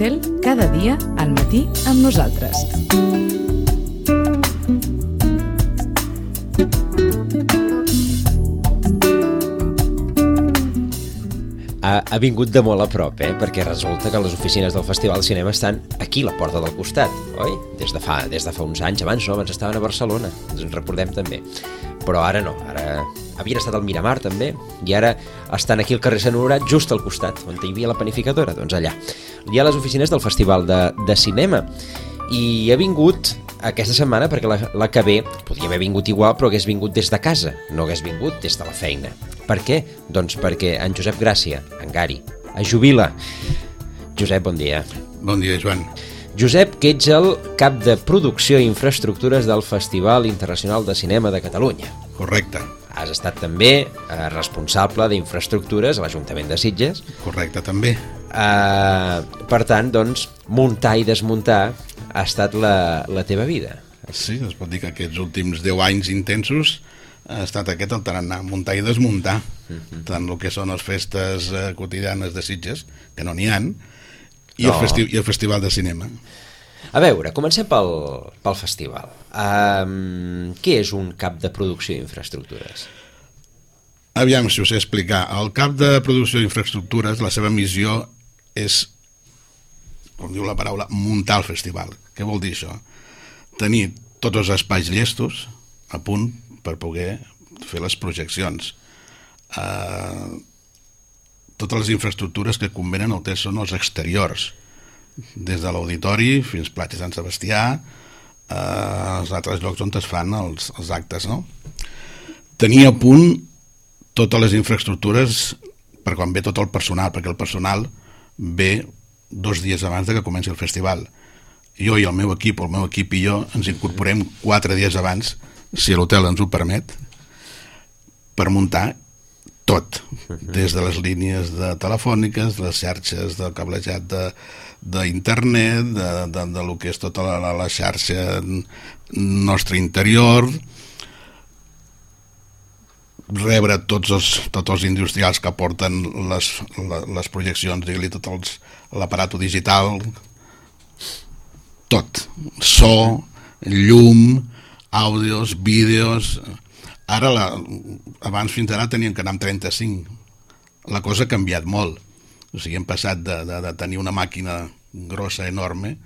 Cel, cada dia al matí amb nosaltres. Ha vingut de molt a prop, perquè resulta que les oficines del Festival de Cinema estan aquí, a la porta del costat, oi? Des de fa uns anys, abans estaven a Barcelona, ens en recordem també. Però ara no, ara havien estat al Miramar també, i ara estan aquí al carrer Sant Honorat, just al costat, on hi havia la panificadora, doncs allà. Hi ha les oficines del Festival de Cinema, i ha vingut aquesta setmana perquè la que ve podria haver vingut igual, però hagués vingut des de casa, no hagués vingut des de la feina. Per què? Doncs perquè en Josep Gràcia, en Gari, es jubila. Josep, bon dia. Bon dia, Joan. Josep, que ets el cap de producció i infraestructures del Festival Internacional de Cinema de Catalunya. Correcte. Has estat també responsable d'infraestructures a l'Ajuntament de Sitges. Correcte, també. Per tant, doncs, muntar i desmuntar ha estat la teva vida. Sí, es pot dir que aquests últims 10 anys intensos ha estat aquest el tarannà, muntar i desmuntar, tant el que són les festes quotidianes de Sitges, que no n'hi ha, i el Festival de Cinema. A veure, comencem pel festival. Què és un cap de producció i infraestructures? Aviam, si ho sé explicar. El cap de producció i infraestructures, la seva missió és, com diu la paraula, muntar el festival. Què vol dir això? Tenir tots els espais llestos a punt per poder fer les projeccions. Totes les infraestructures que convenen el que són els exteriors, des de l'auditori fins a Platja Sant Sebastià, els altres llocs on es fan els actes, no? Tenir a punt totes les infraestructures per quan ve tot el personal, perquè el personal ve 2 dies abans de que comenci el festival. Jo i el meu equip i jo ens incorporem 4 dies abans, si l'hotel ens ho permet, per muntar tot, des de les línies telefòniques, les xarxes de cablejat d'internet, de lo que és tota la xarxa nostre interior, rebre tots els industrials que porten les projeccions, digue-li tot l'aparato digital, tot, so, llum, àudios, vídeos. Ara, abans fins ara teníem que anar amb 35. La cosa ha canviat molt. O sigui, hem passat de tenir una màquina grossa, enorme,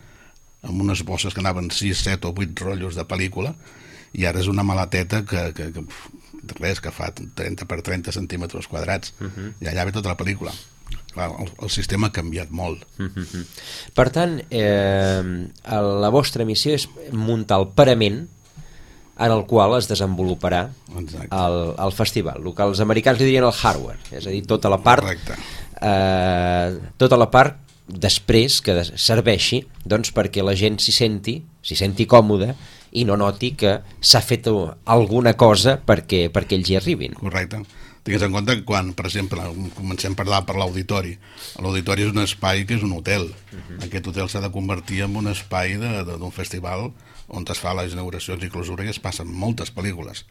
amb unes bosses que anaven 6, 7 o 8 rotllos de pel·lícula, i ara és una maleteta que fa 30 per 30 centímetres quadrats, i allà ve tota la pel·lícula. Clar, el sistema ha canviat molt. Per tant, la vostra missió és muntar el parament en el qual es desenvoluparà el festival. El que els americans li dirien el hardware, és a dir, tota la part després que serveixi, doncs, perquè la gent s'hi senti còmoda i no noti que s'ha fet alguna cosa perquè ells hi arribin. Correcte. Tingues en compte que quan, per exemple, comencem a parlar per l'auditori, l'auditori és un espai que és un hotel. Aquest hotel s'ha de convertir en un espai d'un festival on es fa les inauguracions i clausura i es passen moltes pel·lícules.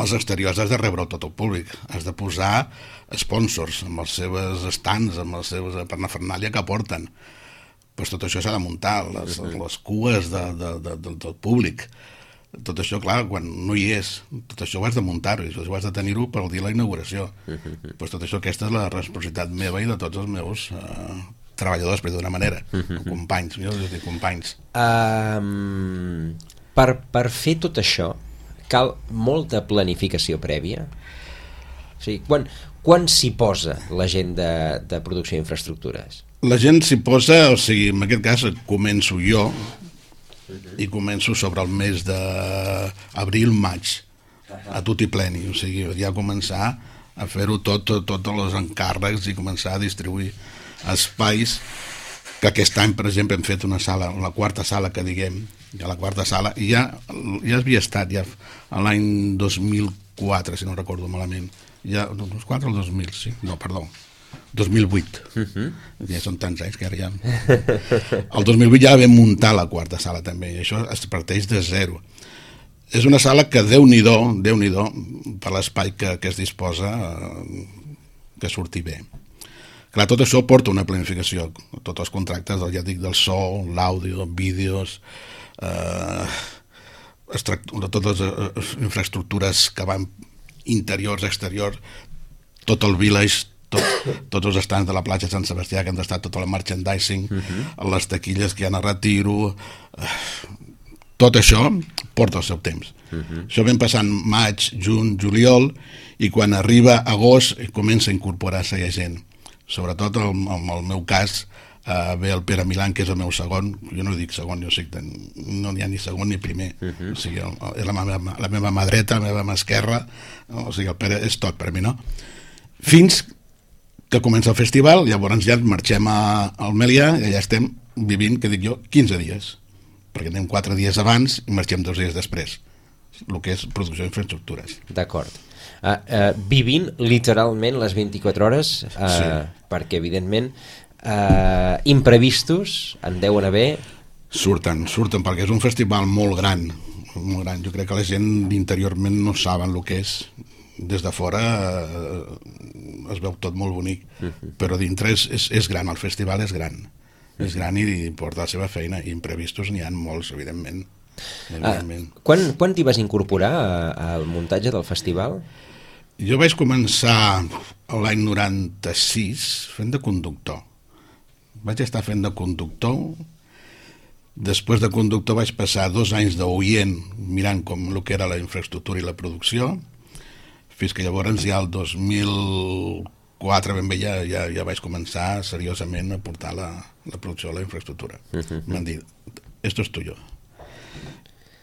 Els exteriors has de rebre tot el públic, has de posar sponsors amb els seus stands, amb les seves parafernàlia que porten. Pues tot això s'ha de muntar, les cues del públic. Tot això, clar, quan no hi és, tot això ho has de muntar-ho, i això ho has de tenir-ho per al dia de la inauguració. Pues tot això, aquesta és la responsabilitat meva i de tots els meus treballadors, per d'una manera, companys, jo els dic companys. Per fer tot això cal molta planificació prèvia? O sigui, quan s'hi posa la gent de producció d'infraestructures? La gent s'hi posa, o sigui, en aquest cas començo jo, i començo sobre el mes d'abril-maig, a tutti pleni, o sigui, ja començar a fer-ho tots els encàrrecs i començar a distribuir espais, que aquest any, per exemple, hem fet una sala, la quarta sala que diguem, ja la quarta sala, i ja havia estat ja l'any 2004, si no recordo malament, ja, 2004 o 2000, sí, no, perdó, 2008. Ja són tants anys que ara ja... El 2008 ja vam muntar la quarta sala també, i això es parteix de zero. És una sala que Déu-n'hi-do per l'espai que es disposa, que surti bé. Clar, tot això porta una planificació, tots els contractes, ja dic, del so, l'àudio, vídeos, totes les infraestructures que van interiors, exteriors, tot el village, tots els estants de la platja de Sant Sebastià que han d'estar, tot el merchandising, les taquilles que hi ha a Retiro, tot això porta el seu temps. Això vam passant maig, juny, juliol, i quan arriba agost comença a incorporar-se ja gent. Sobretot en el meu cas ve el Pere Milán, que és el meu segon, jo no dic segon, jo sé que no n'hi ha ni segon ni primer, o sigui, és la meva mà dreta, la meva mà esquerra, o sigui, el Pere és tot per a mi, no? Fins que comença el festival, llavors ja marxem al Melià i allà estem vivint, que dic jo, 15 dies, perquè anem 4 dies abans i marxem 2 dies després, el que és producció d'infraestructures. D'acord. Vivint literalment les 24 hores, sí. Perquè evidentment imprevistos en deuen haver. Surten, perquè és un festival molt gran, molt gran. Jo crec que la gent interiorment no saben el que és. Des de fora es veu tot molt bonic, però dintre és gran, el festival és gran. És gran i porta la seva feina, i imprevistos n'hi ha molts, evidentment. Quan t'hi vas incorporar al muntatge del festival? Jo vaig començar l'any 96 fent de conductor. Vaig estar fent de conductor. Després de conductor vaig passar 2 anys d'oient mirant com el que era la infraestructura i la producció, fins que llavors ja el 2004 ben bé ja vaig començar seriosament a portar la producció de la infraestructura. M'han dit, esto es tuyo.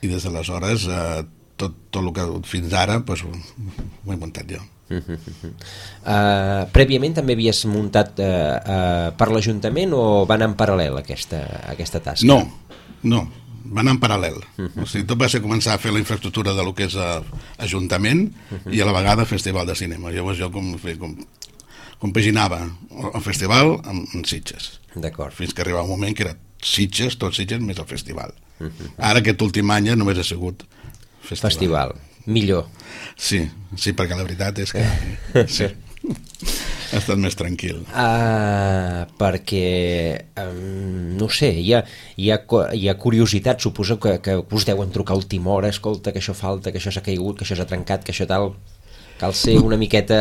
I des d'aleshores tot el que fins ara ho he muntat jo. Prèviament també havies muntat per l'Ajuntament o van en paral·lel aquesta tasca? No, van en paral·lel. O sigui, tot va ser començar a fer la infraestructura de lo que és Ajuntament i a la vegada Festival de Cinema. Llavors jo compaginava el festival amb Sitges. D'acord. Fins que arribava un moment que era Sitges, tot Sitges més el festival. Ara aquest últim any només ha sigut festival. Millor. Sí, perquè la veritat és que sí, ha estat més tranquil. Perquè no sé, hi ha curiositat, suposo que us deuen trucar a última hora, escolta, que això falta, que això s'ha caigut, que això s'ha trencat, que això tal. Cal ser una miqueta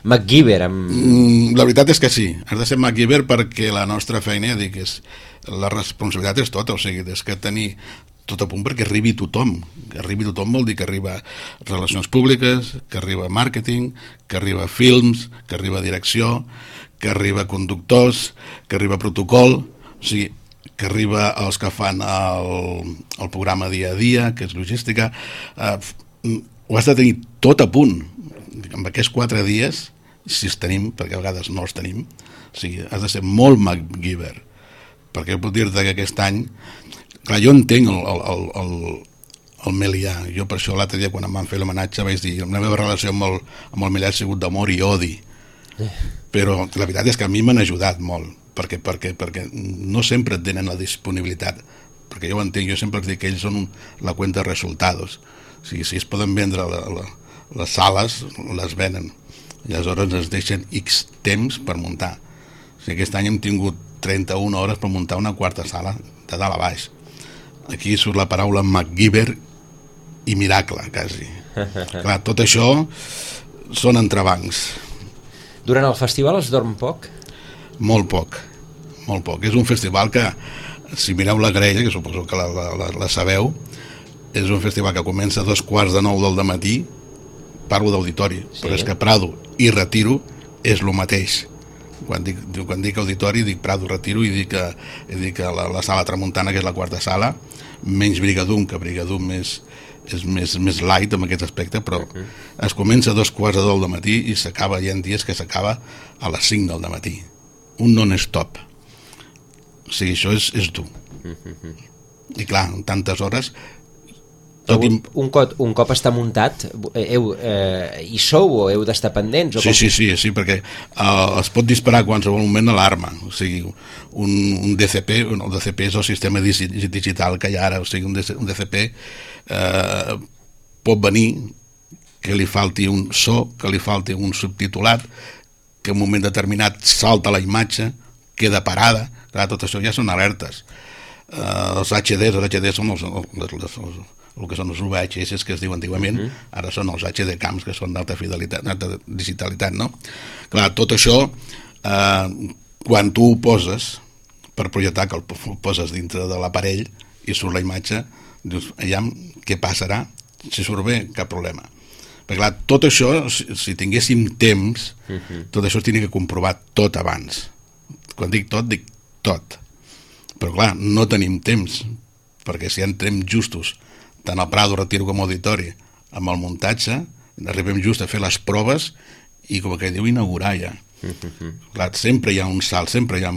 MacGyver. La veritat és que sí, has de ser MacGyver perquè la nostra feina, ja dic, la responsabilitat és tota, o sigui, és que tenir tot a punt perquè arribi tothom. Que arribi tothom vol dir que arriba relacions públiques, que arriba màrqueting, que arriba films, que arriba direcció, que arriba conductors, que arriba protocol, o sigui, que arriba els que fan el programa dia a dia, que és logística. Ho has de tenir tot a punt. En aquests 4 dies, si els tenim, perquè a vegades no els tenim, o sigui, has de ser molt MacGyver. Perquè puc dir-te que aquest any, clar, jo entenc el Melià. Jo per això l'altre dia quan em van fer l'homenatge vaig dir la meva relació amb el Melià ha sigut d'amor i odi, però la veritat és que a mi m'han ajudat molt perquè no sempre tenen la disponibilitat, perquè jo ho entenc, jo sempre els dic que ells són la cuenta de resultados. O sigui, si es poden vendre les sales, les venen i aleshores es deixen X temps per muntar. O sigui, aquest any hem tingut 31 hores per muntar una quarta sala de dalt a baix. Aquí surt la paraula MacGyver i miracle, quasi. Clar, tot això són entrebancs. Durant el festival es dorm poc? Molt poc. És un festival que, si mireu la grella, que suposo que la sabeu, és un festival que comença a 8:45 del matí, parlo d'auditori, sí. Però és que Prado i Retiro és el mateix. Quan dic auditori dic Prado, Retiro i dic la sala Tramuntana, que és la quarta sala, menys Brigadum, que Brigadum és més light en aquest aspecte, però es comença a 2:15 del matí i s'acaba, hi ha dies que s'acaba a les 5 del matí. Un non-stop. O sigui, això és dur. I clar, en tantes hores... Un cop està muntat, hi sou o heu d'estar pendents? Sí, perquè es pot disparar a qualsevol moment l'alarma. O sigui, un DCP, el DCP és el sistema digital que hi ha ara, o sigui, un DCP pot venir que li falti un so, que li falti un subtitulat, que en un moment determinat salta la imatge, queda parada. Clar, tot això ja són alertes. Els HDs són el que són els VHS que es diu antigament, ara són els HD cams, que són d'alta fidelitat, d'alta digitalitat, no? Clar, tot això, quan tu ho poses per projectar, que el poses dintre de l'aparell i surt la imatge, dius, aviam, què passarà? Si surt bé, cap problema. Perquè clar, tot això, si tinguéssim temps, tot això es tenia que comprovar tot abans. Quan dic tot. Però clar, no tenim temps, perquè si entrem justos, tant al Prado, Retiro com Auditori, amb el muntatge, arribem just a fer les proves i, com que diu, inaugurar ja. Clar, sempre hi ha un salt, sempre hi ha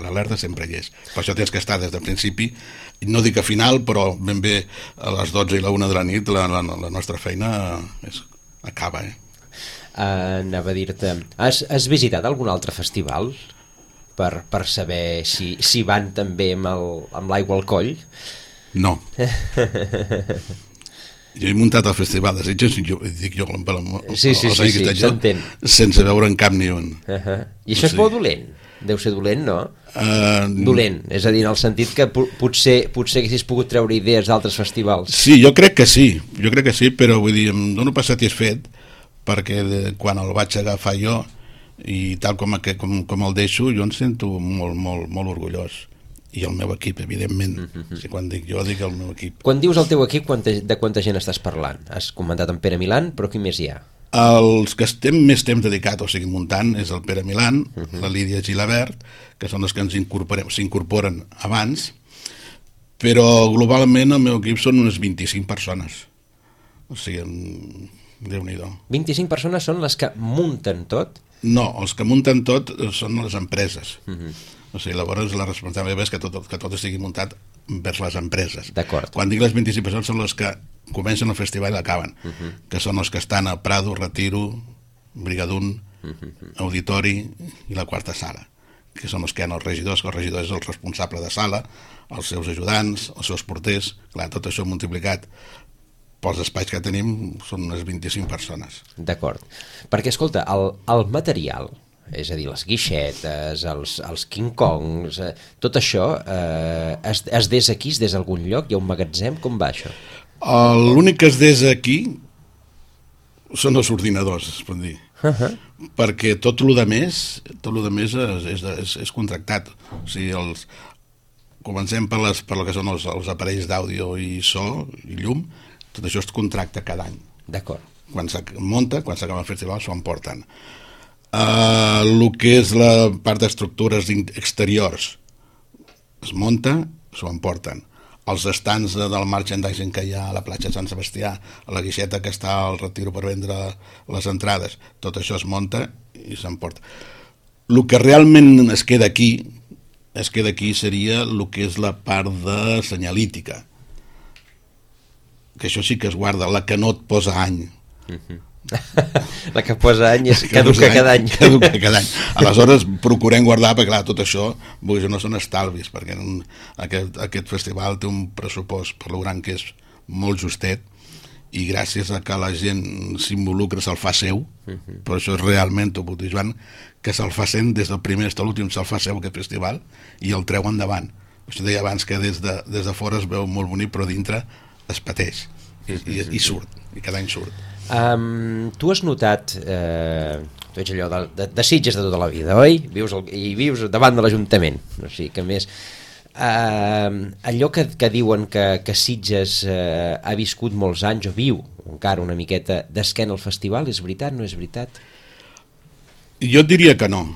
l'alerta, sempre hi és. Per això tens que estar des del principi, no dic a final, però ben bé a les 12 i la 1 de la nit la nostra feina acaba. Anava a dir-te, has visitat algun altre festival per saber si van també amb l'aigua al coll? No. Jo he muntat el Festival de Sitges, dic jo, sí, s'entén, sense veure en cap ni un. I això és bo o dolent? Deu ser dolent, no? Dolent, és a dir, en el sentit que potser haguessis pogut treure idees d'altres festivals. Sí, jo crec que sí, però vull dir, em dono per satisfet, perquè quan el vaig agafar jo, i tal com el deixo, jo em sento molt orgullós. I el meu equip, evidentment. Si quan dic jo, dic el meu equip. Quan dius el teu equip, de quanta gent estàs parlant? Has comentat en Pere Milán, però qui més hi ha? Els que estem més temps dedicat, o sigui, muntant, és el Pere Milán, la Lídia Gilabert, que són els que s'incorporen abans, però globalment el meu equip són unes 25 persones. O sigui, Déu-n'hi-do. 25 persones són les que munten tot? No, els que munten tot són les empreses. O sigui, llavors la responsabilitat és que tot estigui muntat vers les empreses. D'acord. Quan dic les 25 persones són les que comencen el festival i l'acaben, que són els que estan a Prado, Retiro, Brigadún, Auditori i la quarta sala, que són els que hi ha els regidors, que el regidor és el responsable de sala, els seus ajudants, els seus porters, clar, tot això multiplicat pels espais que tenim són unes 25 persones. D'acord. Perquè, escolta, el material, és a dir, les guixetes, els King Kongs, tot això es des aquí, es des d'algun lloc? Hi ha un magatzem? Com va això? L'únic que es des aquí són els ordinadors, es pot dir. Perquè tot el més és contractat. O sigui, comencem per el que són els aparells d'àudio i so i llum, tot això es contracta cada any. D'acord. Quan s'acaba el festival s'ho emporten. El que és la part d'estructures exteriors es munta, s'ho emporten. Els estants del merchandising que hi ha a la platja de Sant Sebastià, a la guixeta que està al Retiro per vendre les entrades, tot això es munta i s'emporta. El que realment es queda aquí seria el que és la part de senyalítica, que això sí que es guarda, la que no et posa any. La que posa any és caduca cada any. Aleshores procurem guardar, perquè clar, tot això no són estalvis, perquè aquest festival té un pressupost per lo gran que és molt justet, i gràcies a que la gent s'involucra se'l fa seu, però això és realment, t'ho puc dir, Joan, que se'l fa sent des del primer fins a l'últim, se'l fa seu aquest festival i el treu endavant. Això deia abans que des de fora es veu molt bonic, però dintre es pateix i surt, i cada any surt. Tu has notat, tu ets allò de Sitges de tota la vida, oi? Vius davant de l'Ajuntament, o sigui que més allò que diuen que Sitges ha viscut molts anys o viu encara una miqueta d'esquena al festival, és veritat, no és veritat? Jo diria que no,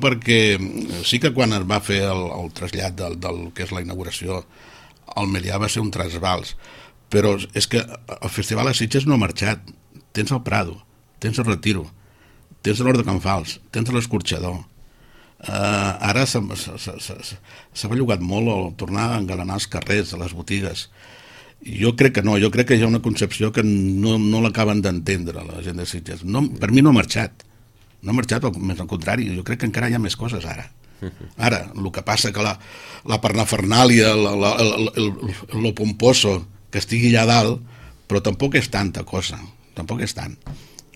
perquè sí que quan es va fer el trasllat del que és la inauguració al Melià va ser un trasbals, però és que el festival a Sitges no ha marxat. Tens el Prado, tens el Retiro, tens l'Hort de Can Fals, tens l'Escorxador. Ara s'ha bellugat molt el tornar a engalanar els carrers, a les botigues. Jo crec que no, jo crec que hi ha una concepció que no l'acaben d'entendre la gent de Sitges. Per mi no ha marxat, més al contrari, jo crec que encara hi ha més coses ara. Ara, el que passa que la parnafernàlia, lo pomposo que estigui allà dalt, però tampoc és tanta cosa, tampoc és tant.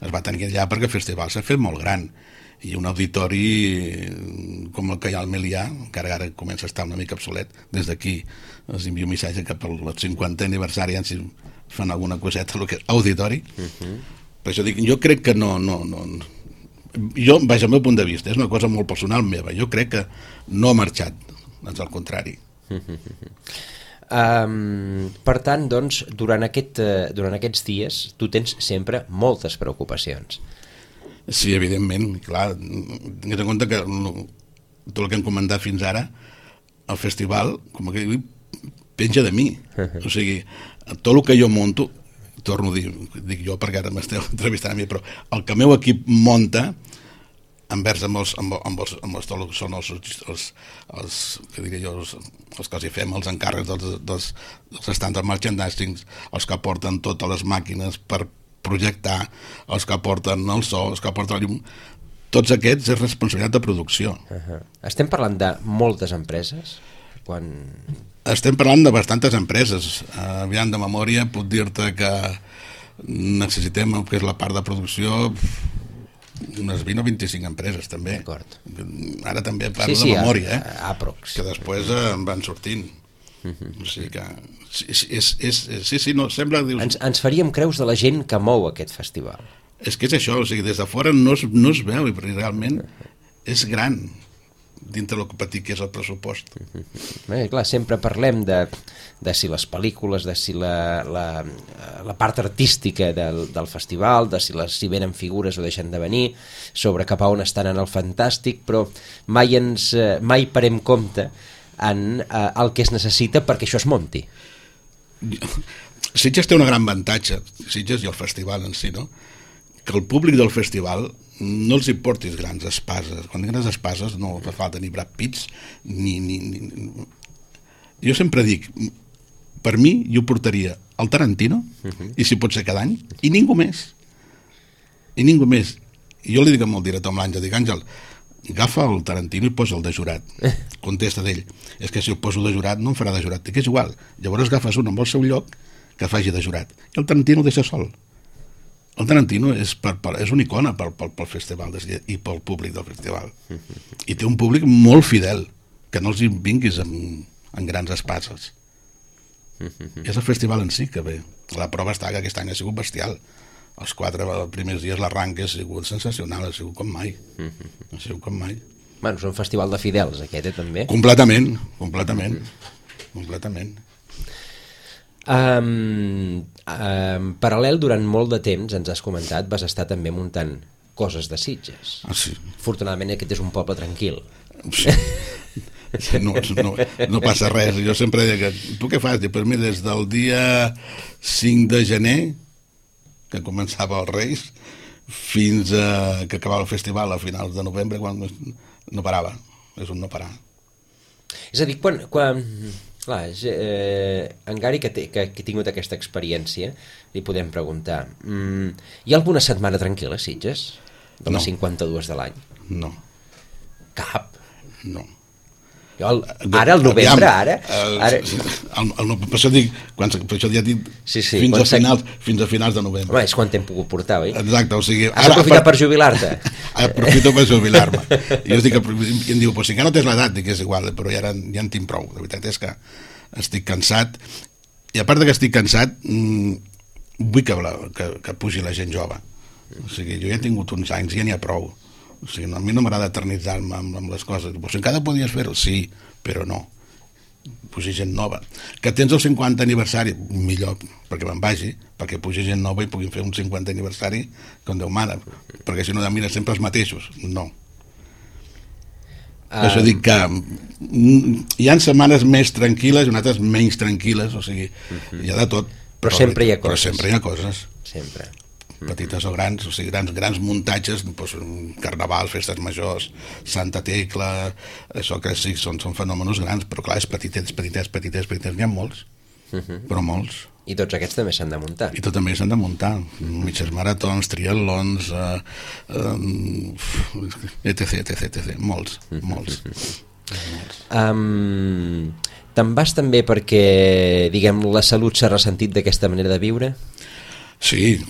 es va tenir allà perquè el festival s'ha fet molt gran, i un auditori com el que hi ha al Milià, encara ara comença a estar una mica obsolet, des d'aquí els envio un missatge cap al 50è aniversari, si fan alguna coseta, el que és auditori. Per això dic, jo crec que no. Jo, vaja, el meu punt de vista, és una cosa molt personal meva, jo crec que no ha marxat, doncs al contrari. Per tant, doncs, durant aquests dies tu tens sempre moltes preocupacions. Sí, evidentment, clar, tingues en compte que tot el que hem comentat fins ara, el festival, com que dic, penja de mi. O sigui, tot el que jo monto, torno a dir, dic jo perquè ara m'esteu entrevistant a mi, però el que el meu equip monta, envers amb que diria jo, els que els hi fem, els encàrrecs dels estants de merchandising, els que porten totes les màquines per projectar, els que porten el so, els que porten el llum, tots aquests és responsabilitat de producció. Estem parlant de moltes empreses? Estem parlant de bastantes empreses. Aviam, de memòria puc dir-te que necessitem el que és la part de producció unes 20 o 25 empreses també. Ara també parlo de memòria, que després en van sortint. O sigui que sí, no, sembla... Ens faríem creus de la gent que mou aquest festival. És que és això, o sigui, des de fora no es veu, i realment és gran dintre del petit que és el pressupost. Clar, sempre parlem de si les pel·lícules, de si la part artística del festival, de si venen figures o deixen de venir, sobre cap a on estan en el fantàstic, però mai parem compte en el que es necessita perquè això es monti. Sitges té una gran avantatge, Sitges i el festival en si, no? Que el públic del festival no els hi portis grans espases. Quan grans espases no fa falta ni Brad Pitts ni... Jo sempre dic, per mi jo portaria el Tarantino, i si pot ser cada any, i ningú més. I ningú més. I jo li dic amb el director, amb l'Àngel, dic, Àngel, agafa el Tarantino i posa el de jurat. Contesta d'ell, és que si el poso de jurat no em farà de jurat, dic, és igual, llavors agafes un amb el seu lloc que faci de jurat, i el Tarantino el deixa sol. El Tarantino és una icona pel festival i pel públic del festival, i té un públic molt fidel, que no els hi vinguis en grans espases. És el festival en si que ve. La prova està que aquest any ha sigut bestial. Els 4 primers dies l'arranque ha sigut sensacional, ha sigut com mai. Bueno, és un festival de fidels, aquest, també? Completament. En paral·lel, durant molt de temps, ens has comentat, vas estar també muntant coses de Sitges. Sí. Afortunadament aquest és un poble tranquil. Sí, no passa res. Jo sempre dic, tu què fas? Per mi des del dia 5 de gener, que començava els Reis, fins que acabava el festival a finals de novembre, quan no parava. És un no parar. És a dir, quan clar, en Gary, que ha tingut aquesta experiència, li podem preguntar, hi ha alguna setmana tranquil·la a Sitges? De les 52 de l'any? No. Cap? No. Ara, al novembre, ara... Per això dic, ja dic fins a finals de novembre. Home, és quan t'hem pogut portar, oi? Exacte, o sigui... Has aprofitat per jubilar-te? Aprofito per jubilar-me. I em diu, però si encara no tens l'edat, dic, és igual, però ja en tinc prou. La veritat és que estic cansat, i a part que estic cansat, vull que pugi la gent jove. O sigui, jo ja he tingut uns anys, ja n'hi ha prou. O sigui, a mi no m'agrada eternitzar-me amb les coses. Però si encara podies fer-ho, sí, però no. Pugi gent nova. Que tens el 50 aniversari, millor, perquè me'n vagi, perquè pugi gent nova i puguin fer un 50 aniversari com Déu mana, perquè si no, mira, sempre els mateixos. No. Per això dic que hi ha setmanes més tranquil·les i altres menys tranquil·les, o sigui, hi ha de tot. Però sempre hi ha coses. Però sempre hi ha coses. Sempre. Petites o grans, o sigui, grans muntatges, doncs, carnaval, festes majors, Santa Tecla, això que sí, són fenòmenos grans, però clar, és petitets, n'hi ha molts, però molts. I tots aquests també s'han de muntar. I tots també s'han de muntar, mitges maratons, triatlons, etc, molts. Te'n vas també perquè, diguem, la salut s'ha ressentit d'aquesta manera de viure? Sí,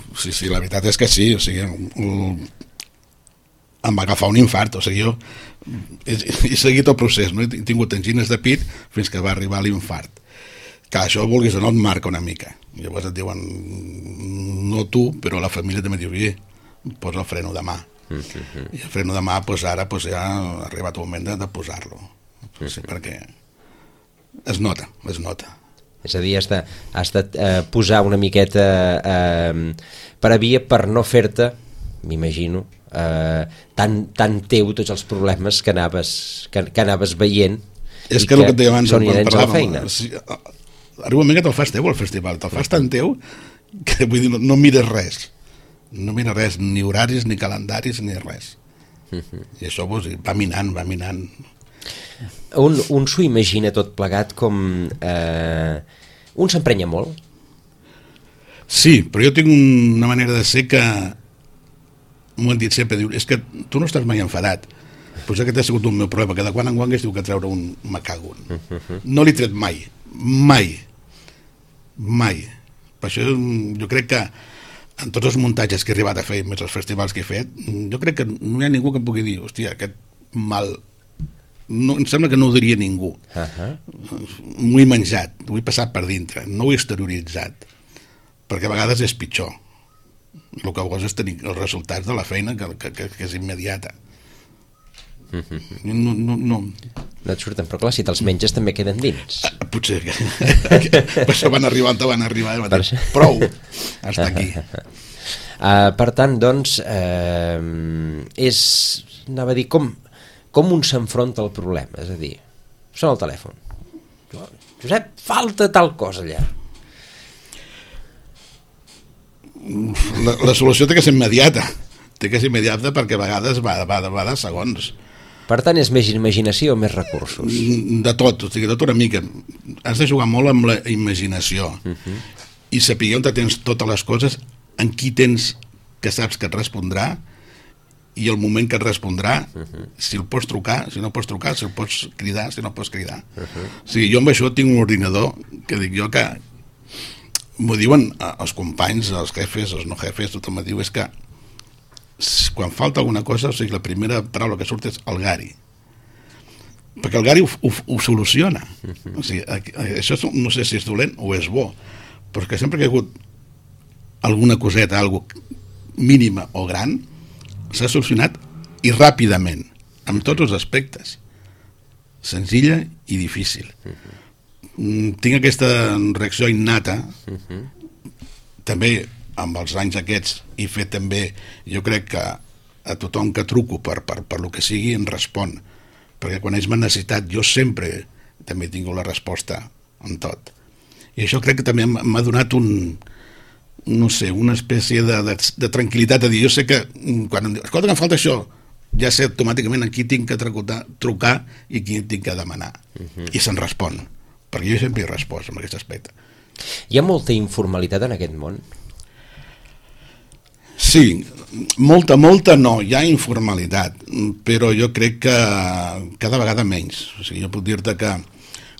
la veritat és que sí, o sigui, em va agafar un infart, o sigui, jo he seguit el procés, no? He tingut angines de pit fins que va arribar l'infart. Que això, vulguis o no, et marca una mica. Llavors et diuen, no tu, però la família també diu, posa el freno de mà. I el freno de mà, ara ja ha arribat el moment de posar-lo. Sí, perquè es nota. És a dir, has de posar una miqueta per a via per no fer-te, m'imagino, tan teu tots els problemes que anaves veient. És que el que et deia abans, són inherents a la feina. Arriba un moment que te'l fas teu al festival, te'l fas tan teu que vull dir, no mires res. No mires res, ni horaris, ni calendaris, ni res. I això va minant. Un s'ho imagina tot plegat com... un s'emprenya molt? Sí, però jo tinc una manera de ser que m'ho han dit sempre, diu, és que tu no estàs mai enfadat, però aquest ha sigut un meu problema, que de quan en quan es diu que treure un me cago. No l'he tret mai. Per això jo crec que en tots els muntatges que he arribat a fer, més els festivals que he fet, jo crec que no hi ha ningú que em pugui dir, hòstia, aquest mal... No, em sembla que no ho diria ningú. M'ho he menjat, ho he passat per dintre, no ho he exterioritzat, perquè a vegades és pitjor. El que vols és tenir els resultats de la feina que és immediata. No et surten, però clar, si te'ls menges també queden dins. Potser que per això van arribar, prou, hasta aquí. Per tant, doncs, anava a dir, com un s'enfronta al problema, és a dir, sona el telèfon, Josep, falta tal cosa allà. La solució té que ser immediata, perquè a vegades va de segons. Per tant, és més imaginació o més recursos? De tot, o sigui, de tot una mica. Has de jugar molt amb la imaginació i saber on tens totes les coses, en qui tens que saps que et respondrà i el moment que et respondrà, si el pots trucar, si no pots trucar, si el pots cridar, si no pots cridar. O sigui, jo amb això tinc un ordinador que dic jo que m'ho diuen els companys, els jefes, els no jefes, tothom em diu, és que quan falta alguna cosa, o sigui, la primera paraula que surt és el Gari, perquè el Gari ho soluciona. O sigui, això no sé si és dolent o és bo, però que sempre que hi ha hagut alguna coseta, alguna mínima o gran, s'ha solucionat i ràpidament, amb tots els aspectes, senzilla i difícil. Tinc aquesta reacció innata, també amb els anys aquests he fet també, jo crec que a tothom que truco per lo que sigui em respon, perquè quan ells m'han necessitat jo sempre també he tingut la resposta en tot, i això crec que també m'ha donat una espècie de tranquil·litat, de dir, jo sé que quan em diu, escolta que em falta això, ja sé automàticament a qui tinc que trucar i qui tinc que demanar, i se'n respon, perquè jo sempre he respost en aquest aspecte. Hi ha molta informalitat en aquest món? Sí, molta no, hi ha informalitat, però jo crec que cada vegada menys. O sigui, jo puc dir-te que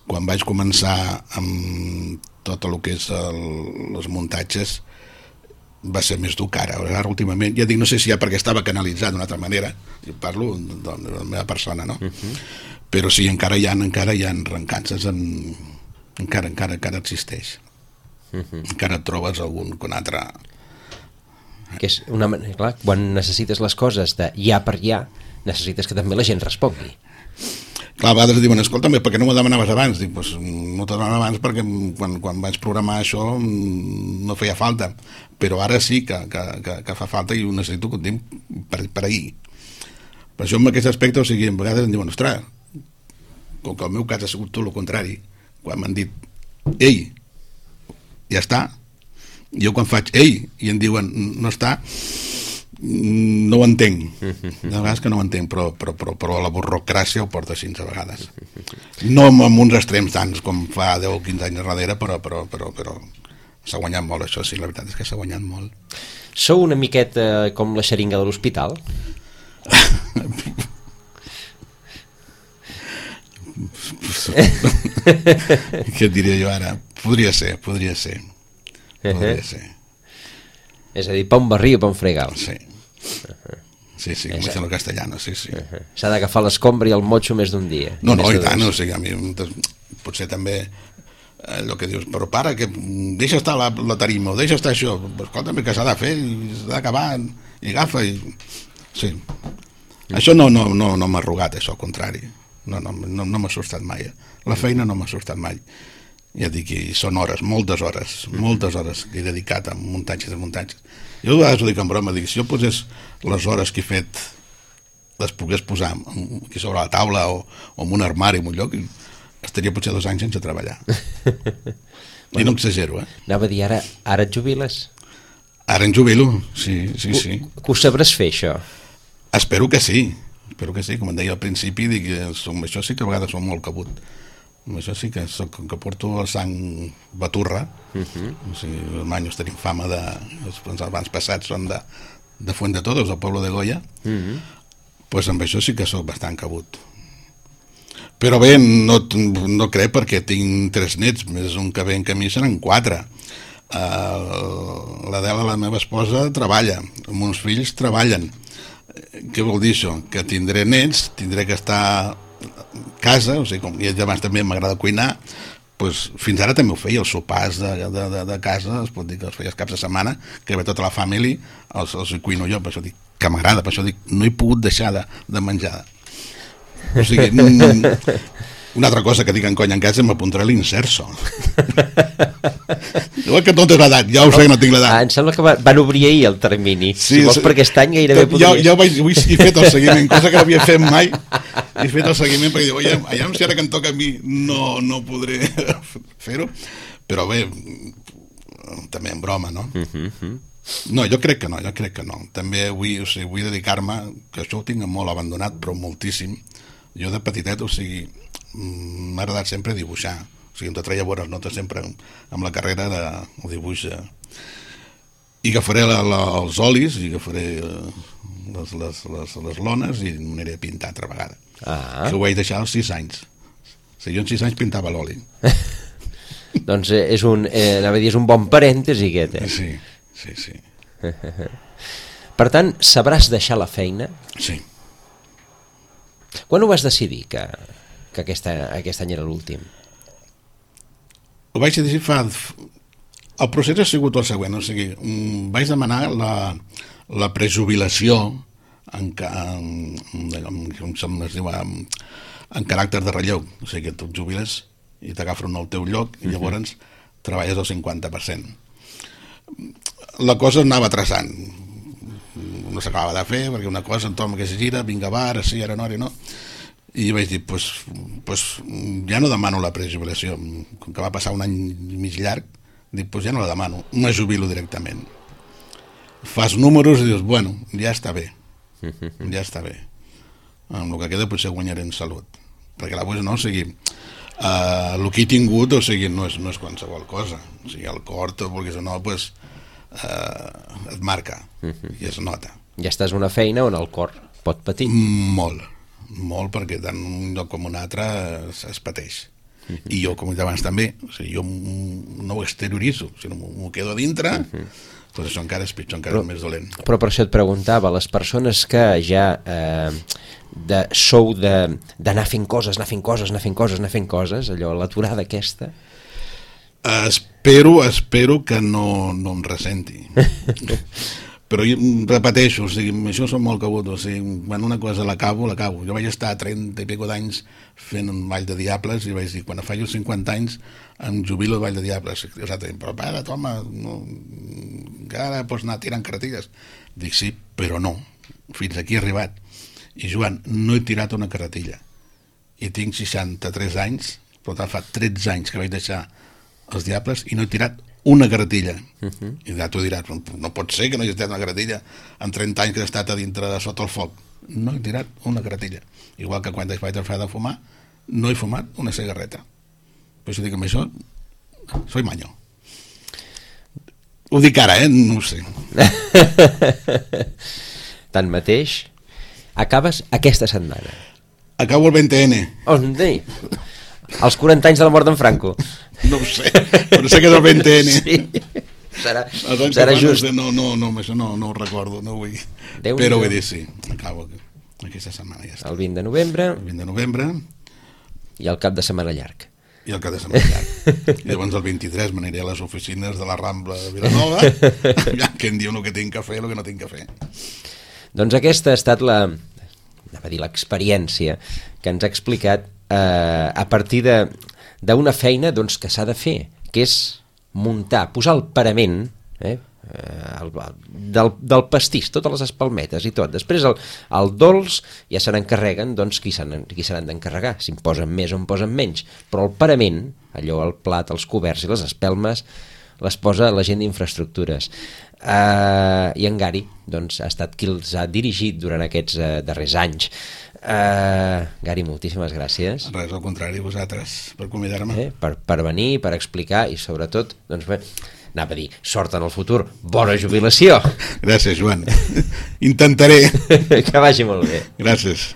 quan vaig començar amb tot el que és els muntatges va ser més dur que ara. Ara últimament, ja dic, no sé si ja perquè estava canalitzat d'una altra manera, jo parlo de la meva persona, no? Però sí, encara hi ha rencances, encara existeix. Encara et trobes algun altre... Que és una manera, clar, quan necessites les coses de ja per ja, necessites que també la gent respongui. Clar, a vegades diuen, escolta'm, per què no m'ho demanaves abans? Dic, pues, no t'ho demanava abans perquè quan vaig programar això no feia falta, però ara sí que fa falta i ho necessito que ho tinc per ahir. Per això en aquest aspecte, o sigui, a vegades em diuen, ostres, com que el meu cas ha sigut tot el contrari, quan m'han dit, ei, ja està, jo quan faig ei i em diuen no està, no ho entenc, de vegades que no ho entenc, però la burocràcia ho porta així a vegades, no amb uns extrems tants com fa 10 o 15 anys darrere, però s'ha guanyat molt això, sí, la veritat és que s'ha guanyat molt. Sou una miqueta com la xeringa de l'hospital? Què et diria jo ara? Podria ser. És a dir, pa un barri o pa un fregal. Sí. Sí, com dicen el castellano, sí. S'ha d'agafar l'escombra i el motxo més d'un dia. No, i tant, o sigui, a mi potser també allò que dius, però pare, que deixa estar la tarima, o deixa estar això, però escolta'm, que s'ha de fer, s'ha d'acabar, i agafa, i... Sí. Això no m'ha arrugat, això, al contrari. No m'ha assustat mai. La feina no m'ha assustat mai. Ja dic que són hores, moltes hores que he dedicat a muntatges i muntatges. Jo a vegades ho dic en broma, dic, si jo posés les hores que he fet, les pogués posar aquí sobre la taula o en un armari en un lloc, estaria potser 2 anys sense treballar. I no exagero, Anava a dir, ara et jubiles? Ara em jubilo, sí. Que ho sabràs fer, això? Espero que sí, com em deia al principi, dic, això sí que a vegades som molt cabut. Això sí que porto el sang baturra, o sigui, els manyos tenim fama de... Els abans passats són de Fuent de Todos, del poble de Goya, doncs amb això sí que sóc bastant cabut. Però bé, no crec, perquè tinc 3 nets, més un que ve en camí seran 4. L'Adela, la meva esposa, treballa, els meus fills treballen. Què vol dir això? Que tindré nets, tindré que estar casa, o sigui, com ja abans també m'agrada cuinar, doncs fins ara també ho feia, els sopars de casa, es pot dir que els feia els caps de setmana, que ve tota la família, els cuino jo, per això dic que m'agrada, per això dic, no he pogut deixar de menjar. O sigui, una altra cosa que dic en conya en casa, m'apuntaré l'inserso. Igual que tot és l'edat, ja ho sé que no tinc l'edat. Em sembla que van obrir ahir el termini. Sí, si vols per aquest any gairebé podries. Jo he fet el seguiment, cosa que no havia fet mai. He fet el seguiment perquè diu, aviam si ara que em toca a mi no podré fer-ho. Però bé, també en broma, no? No, jo crec que no. També vull dedicar-me, que això ho tinc molt abandonat, però moltíssim. Jo de petitet, o sigui, m'ha agradat sempre dibuixar. O sigui, em treia bones notes sempre amb la carrera de dibuix. I agafaré els olis, i agafaré les lones i m'aniré a pintar altra vegada. Això ho vaig deixar als 6 anys. O sigui, jo en 6 anys pintava l'oli. Doncs és un bon parèntesi aquest, Sí. Per tant, sabràs deixar la feina? Sí. Quan ho vas decidir, que aquest any era l'últim? Ho vaig decidir El procés ha sigut el següent, o sigui, vaig demanar la prejubilació en caràcter de relleu, o sigui que tu et jubiles i t'agafen al teu lloc i llavors treballes al 50%. La cosa anava traçant, no s'acabava de fer perquè una cosa entorn que se gira, vinga va, ara sí, ara no, i vaig dir, pues ja no demano la prejubilació, com que va passar un any i mig llarg, dic, pues ja no la demano, me jubilo directament. Fas números i dius, bueno, ja està bé, amb el que queda potser guanyaré en salut, perquè la no, o sigui, el que he tingut, o sigui, no és qualsevol cosa, o sigui, el cor, tot vulguis o no, pues et marca i es nota. Ja estàs una feina on el cor pot patir. Molt, perquè tant un lloc com un altre es pateix. I jo, com he dit abans també, o sigui, jo no ho exterioritzo, sinó m'ho quedo a dintre, doncs això encara és pitjor, encara és més dolent. Però per això et preguntava, les persones que ja sou d'anar fent coses, allò, l'aturada aquesta... Espero que no em ressenti. Però jo repeteixo, o sigui, això som molt cabut, o sigui, quan una cosa l'acabo. Jo vaig estar 30 i escaig d'anys fent un Vall de Diables i vaig dir, quan faig els 50 anys em jubilo al Vall de Diables. Però pare, home, que ara pots anar tirant carretilles. Dic, sí, però no, fins aquí he arribat. I Joan, no he tirat una carretilla. I tinc 63 anys, per tant fa 13 anys que vaig deixar els Diables i no he tirat una carretilla. I ja t'ho diràs, no pot ser que no hagi tirat una carretilla en 30 anys que he estat a dintre de sota el foc. No he tirat una carretilla. Igual que quan vaig deixar de fumar, no he fumat una cigarreta. Per això dic, amb això soy maño. Ho dic ara, no ho sé. Tanmateix, acabes aquesta setmana. Acabo el 20N. Hosti, els 40 anys de la mort d'en Franco. No ho sé, però sé que és el 20N. Sí. serà just. No, això no ho recordo, no vull. Però vull dir, sí, acabo aquesta setmana ja està. El 20 de novembre. El 20 de novembre. I el cap de setmana llarg. I el cap de setmana llarg. I llavors el 23 m'aniré a les oficines de la Rambla de Vilanova, que em diuen el que tinc que fer i el que no tinc que fer. Doncs aquesta ha estat l'experiència que ens ha explicat a partir d'una feina doncs, que s'ha de fer, que és muntar, posar el parament, del pastís, totes les espalmetes i tot. Després el dolç ja se n'encarreguen doncs, qui se n'han d'encarregar, si en posen més o en posen menys, però el parament, allò, el plat, els coberts i les espelmes, les posa la gent d'infraestructures. I en Gary doncs, ha estat qui els ha dirigit durant aquests darrers anys. Gary, moltíssimes gràcies. Res, al contrari, vosaltres, per convidar-me. Per venir, per explicar i sobretot, doncs bé, anava a dir, sort en el futur, bona jubilació. Gràcies, Joan. Intentaré. Que vagi molt bé. Gràcies.